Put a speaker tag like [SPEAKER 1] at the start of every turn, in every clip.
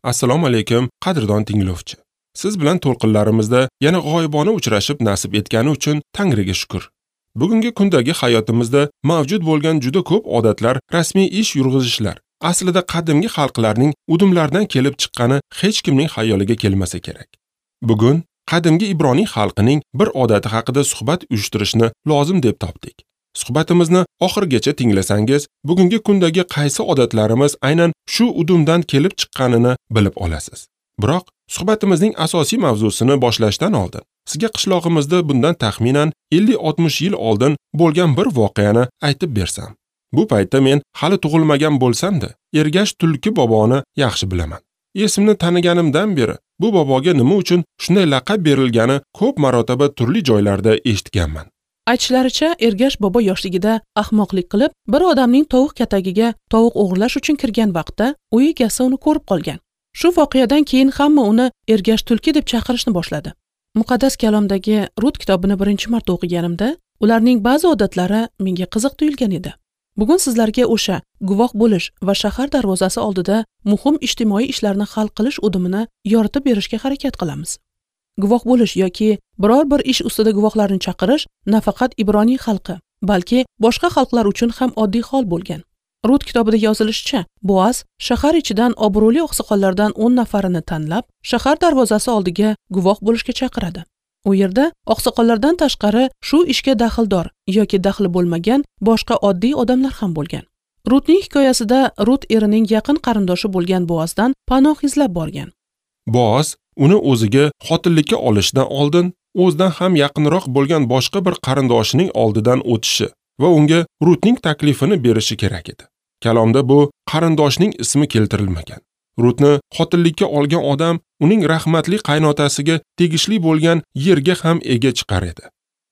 [SPEAKER 1] Assalomu alaykum, qadrdon tinglovchi. Siz bilan to'lqinlarimizda yana g'oyibona uchrashib nasib etgani uchun Tangriga shukr. Bugungi kundagi hayotimizda mavjud bo'lgan juda ko'p odatlar, rasmiy ish yurg'izishlar aslida qadimgi xalqlarning udumlaridan kelib chiqqani hech kimning xayoliga kelmasa kerak. Bugun qadimgi Ibroniy xalqining bir odati haqida suhbat uyushtirishni lozim deb topdik. Suhbatimizni oxirigacha tinglasangiz, bugungi kundagi qaysi odatlarimiz aynan shu udumdan kelib chiqqanini bilib olasiz. Biroq suhbatimizning asosiy mavzusini boshlashdan oldin sizga qishlog'imizda bundan taxminan 50-60 yil oldin bo'lgan bir voqeani aytib bersam. Bu paytda men hali tug'ilmagan bo'lsam-da, Ergash Tulki boboni yaxshi bilaman. Esimni taniganimdan beri bu boboga nima uchun shunday laqab berilgani ko'p marotaba turli joylarda eshitganman.
[SPEAKER 2] Aytishlaricha, Ergash bobo yoshligida ahmoqlik qilib, bir odamning tovuq katagiga tovuq o'g'irlash uchun kirgan vaqtda uy egasi uni ko'rib qolgan. Shu voqeadan keyin hamma uni Ergash Tulki deb chaqirishni boshladi. Muqaddas kalomdagi Rut kitobini birinchi marta o'qiganimda, ularning ba'zi odatlari menga qiziq tuyulgan edi. Bugun sizlarga o'sha guvoh bo'lish va shahar darvozasi oldida muhim ijtimoiy ishlarni hal qilish udumini yoritib berishga harakat qilamiz. Guvoh bo'lish yoki biror bir ish ustida guvohlarni chaqirish nafaqat Ibroniy xalqi, balki boshqa xalqlar uchun ham oddiy hol bo'lgan. Rut kitobida yozilishicha, Boaz shahar ichidan obro'li oqsoqollardan 10 nafarini tanlab, shahar darvozasi oldiga guvoh bo'lishga chaqiradi. U yerda oqsoqollardan tashqari shu ishga daxldor yoki daxli bo'lmagan boshqa oddiy odamlar ham bo'lgan. Rutning hikoyasida Rut erining yaqin qarindoshi bo'lgan Boazdan panoh izlab borgan.
[SPEAKER 1] Boaz uni o'ziga xotinlikka olishdan oldin o'zidan ham yaqinroq bo'lgan boshqa bir qarindoshining oldidan o'tishi va unga Rutning taklifini berishi kerak edi. Kalomda bu qarindoshning ismi keltirilmagan. Rutni xotinlikka olgan odam uning rahmatli qaynotasiga tegishli bo'lgan yerga ham ega chiqar edi.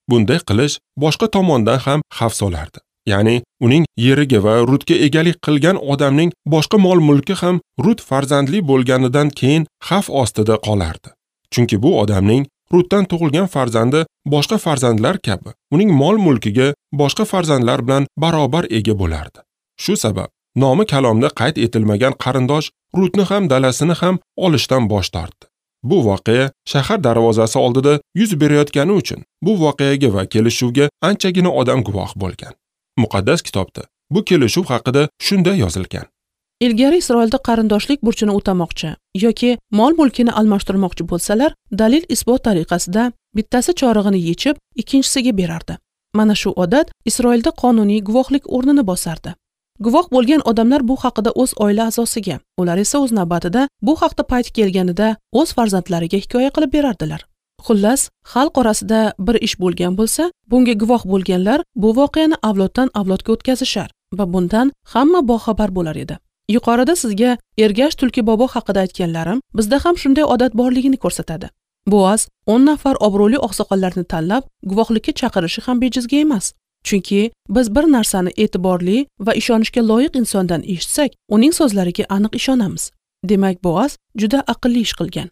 [SPEAKER 1] Bunday qilish boshqa tomondan ham xavf solardi. Ya'ni uning yeriga va Rutga egalik qilgan odamning boshqa mol-mulki ham Rut farzandli bo'lganidan keyin xavf ostida qolardi. Chunki bu odamning Rutdan tug'ilgan farzandi boshqa farzandlar kabi uning mol-mulkiga boshqa farzandlar bilan barobar ega bo'lardi. Shu sabab nomi kalomda qayd etilmagan qarindosh Rutni ham dalasini ham olishdan bosh tortdi. Bu voqea shahar darvozasi oldida yuz berayotgani uchun bu voqeaga va kelishuvga anchagina odam guvoh bo'lgan. Muqaddas kitobda bu kelishuv haqida shunday yozilgan.
[SPEAKER 2] Ilgari Isroilda qarindoshlik burchini o'tamoqchi yoki mol-mulkini almashtirmoqchi bo'lsalar, dalil isbot tariqasida bittasi chorig'ini yechib, ikkinchisiga berardi. Mana shu odat Isroilda qonuniy guvohlik o'rnini bosardi. Guvoh bo'lgan odamlar bu haqida o'z oila a'zosiga, ular esa o'z navbatida bu haqda payti kelganida o'z farzandlariga hikoya qilib berardilar. Xullas, xalq orasida bir ish bo'lgan bo'lsa, bunga guvoh bo'lganlar bu voqeani avloddan avlodga o'tkazishar va bundan hamma boxabar bo'lar edi. Yuqorida sizga Ergash Tulki bobo haqida aytganlarim bizda ham shunday odat borligini ko'rsatadi. Boaz 10 nafar obro'li oqsoqollarni tanlab guvohlikka chaqirishi ham bejizga emas. Chunki biz bir narsani e'tiborli va ishonishga loyiq insondan eshitsak, uning so'zlariga aniq ishonamiz. Demak, Boaz juda aqlli ish qilgan.